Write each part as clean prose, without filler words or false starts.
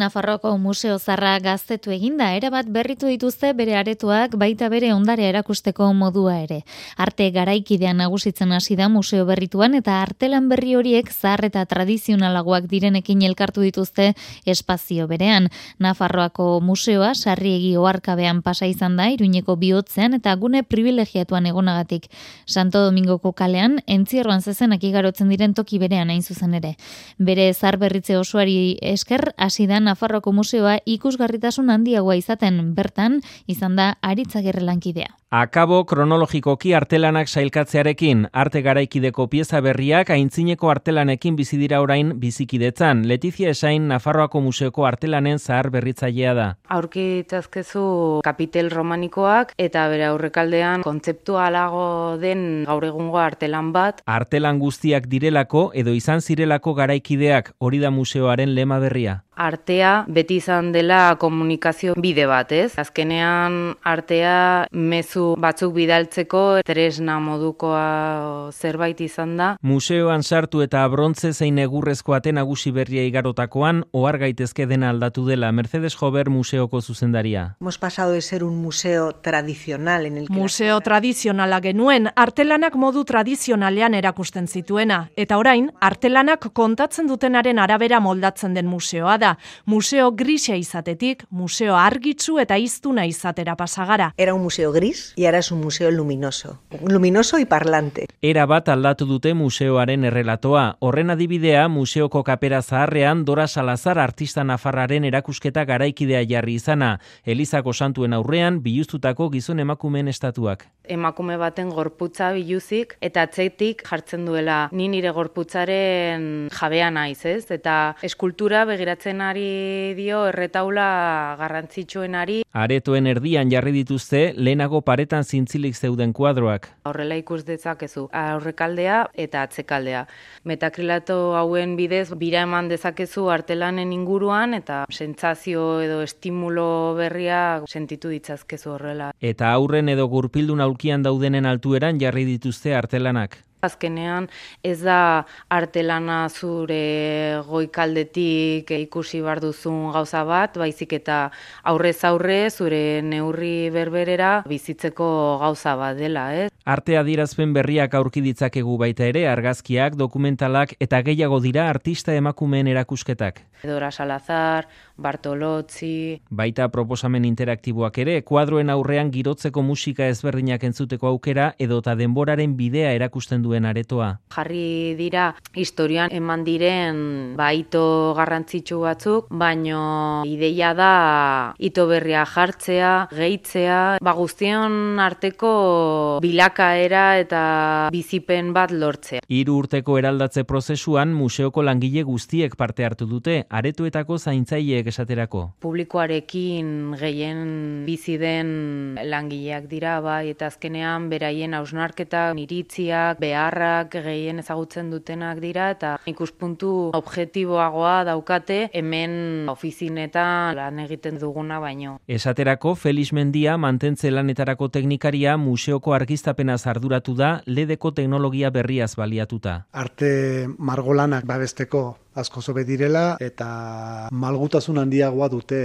Nafarroako Museo Zaharra gaztetu eginda, erabat berritu dituzte bere aretoak, baita bere ondarea erakusteko modua ere. Arte garaikidean nagusitzen hasi da museo berrituan eta artelan berri horiek zahar eta tradizionalagoak direnekin elkartu dituzte espazio berean. Nafarroako museoa Sarriegi oharkabean pasa izan da, Iruñeko bihotzean eta gune privilegiatuan egonagatik. Santo Domingoko kalean, entzierroan zezenak igarotzen diren toki berean hain zuzen ere. Bere zaharberritze osoari esker hasi da Nafarroako museoa ikusgarritasun handiagoa izaten, bertan izan da Aritz Agirre lankidea. Akabo kronologikoki artelanak sailkatzearekin, arte garaikideko pieza berriak aintzineko artelanekin bizi dira orain bizikidetzan. Letizia Esain Nafarroako museoko artelanen zahar berritzailea da. Aurkitzazkezu kapitel romanikoak eta bere aurrekaldean kontzeptualago den gaur egungo artelan bat. Artelan guztiak direlako edo izan zirelako garaikideak, hori da museoaren lema berria. Artea beti izan dela komunikazio bide bat, ez? Azkenean artea mezu batzuk bidaltzeko tresna modukoa zerbait izan da. Museoan sartu eta brontze zein egurrezko ate nagusi berria igarotakoan ohar gaitezke dena aldatu dela. Mercedes Jover museoko zuzendaria. Hemos pasado de ser un museo tradicional en el que museo tradizionala genuen, artelanak modu tradizionalean erakusten zituena, eta orain artelanak kontatzen dutenaren arabera moldatzen den museoa da. Museo grisa izatetik, museo argitsu eta iztuna izatera pasagara. Era un museo gris y ahora es un museo luminoso. Luminoso y parlante. Era bat aldatu dute museoaren errelatoa. Horren adibidea, museoko kapera zaharrean Dora Salazar artista nafarraren erakusketa garaikidea jarri izana. Elizako santuen aurrean biluztutako gizon emakumeen estatuak. Emakume baten gorputza biluzik eta atzetik jartzen duela ni nire gorputzaren jabea naiz, ez? Eta eskultura begiratzen ari dio erretaula garrantzitsuenari. Aretoen erdian jarri dituzte lehenago paretan zintzilik zeuden kuadroak. Horrela ikus dezakezu aurrekaldea eta atzekaldea. Metakrilato hauen bidez bira eman dezakezu artelanen inguruan eta sentsazio edo estimulo berria sentitu ditzazkezu horrela. Eta aurren edo gurpildun aulkian daudenen altueran jarri dituzte artelanak. Azkenean ez da artelana zure goikaldetik ikusi bar duzun gauza bat, baizik eta aurrez aurre zure neurri berberera bizitzeko gauza bat dela, ez? Arte adierazpen berriak aurki ditzakegu baita ere, argazkiak, dokumentalak eta gehiago dira artista emakumeen erakusketak. Dora Salazar, Bartolozzi. Baita proposamen interaktiboak ere, kuadroen aurrean girotzeko musika ezberdinak entzuteko aukera edota denboraren bidea erakusten duen aretoa. Jarri dira historian eman diren ito garrantzitsu batzuk, baino ideia da ito berria jartzea, gehitzea, guztion arteko bilakaera eta bizipen bat lortzea. 3 urteko eraldatze prozesuan museoko langile guztiek parte hartu dute, aretoetako zaintzaileek esaterako. Publikoarekin gehien bizi den langileak dira, bai, eta azkenean beraien hausnarketak, iritziak, beharrak gehien ezagutzen dutenak dira, eta ikuspuntu objektiboagoa daukate hemen ofizinetan lan egiten duguna baino. Esaterako Felix Mendia mantentze lanetarako teknikaria museoko argiztapenaz arduratu da LEDeko teknologia berriaz baliatuta. Arte margolanak babesteko asko zobe direla eta malgutasun handiagoa dute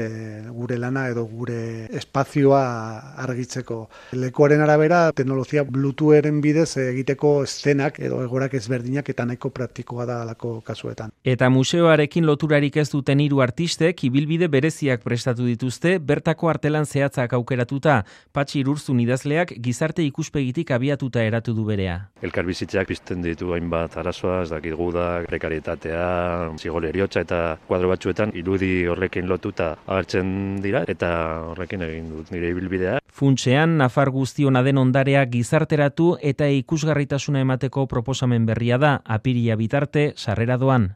gure lana edo gure espazioa argitzeko. Lekuaren arabera teknologia Bluetootheren bidez egiteko eszenak edo egorak ezberdinak eta nahiko praktikoa da alako kasuetan. Eta museoarekin loturarik ez duten 3 artistek ibilbide bereziak prestatu dituzte, bertako artelan zehatzak aukeratuta. Patxi Irurzun idazleak gizarte ikuspegitik abiatuta eratu du berea. Elkarbizitzeak pizten ditu hainbat arazoa, ez dakit gudak, prekarietatea, zigor heriotza eta kuadro batzuetan irudi horrekin lotuta agertzen dira eta horrekin egin dut nire ibilbidea. Funtsean, Nafar guztiona den ondarea gizarteratu eta ikusgarritasuna emateko proposamen berria da, apiria bitarte sarrera doan.